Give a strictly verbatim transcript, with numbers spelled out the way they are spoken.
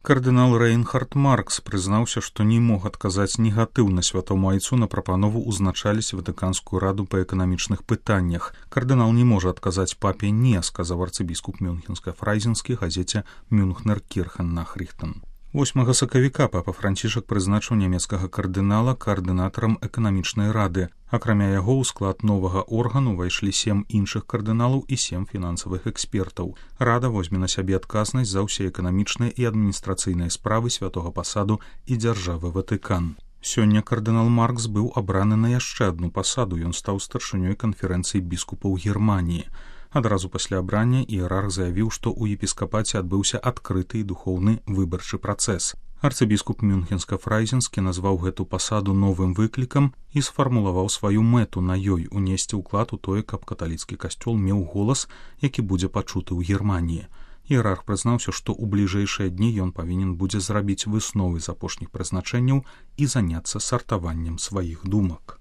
Кардынал Рэйнхард Маркс прызнаўся, што не мог адказаць негатыўна святому айцу на прапанову ўзначаліць Ватыканскую раду па эканамічных пытаннях. Кардынал не можа адказаць папе «не», сказаў арцыбіскуп Мюнхенска-Фрайзенскі газеце «Мюнхнер Кірхен-Нахрихтен». восьмага сакавіка папа Францішак прызначыў нямецкага кардынала каардынатарам эканамічнай рады. Акрамя яго ў склад новага органу ўвайшлі сем іншых кардыналаў і сем фінансавых экспертаў. Рада возьме на сябе адказнасць за ўсе эканамічныя і адміністрацыйныя справы святога пасаду і дзяржавы Ватыкан. Сёння кардынал Маркс быў абраны на яшчэ адну пасаду, ён стаў старшынёй канферэнцыі біскупаў Германіі. Адразу пасля абрання іерарх заявіў, што ў епіскапаце адбыўся адкрыты і духоўны выбарчы працэс. Арцыбіскуп Мюнхенска-Фрайзенскі назваў гэту пасаду новым выклікам і сфармулаваў сваю мэту на ёй унесці ўклад у тое, каб каталіцкі касцёл меў голас, які будзе пачуты ў Германіі. Іерарх прызнаўся, што ў бліжэйшыя дні ён павінен будзе зрабіць высновы з апошніх прызначэнняў і заняцца сартаваннем сваіх думак.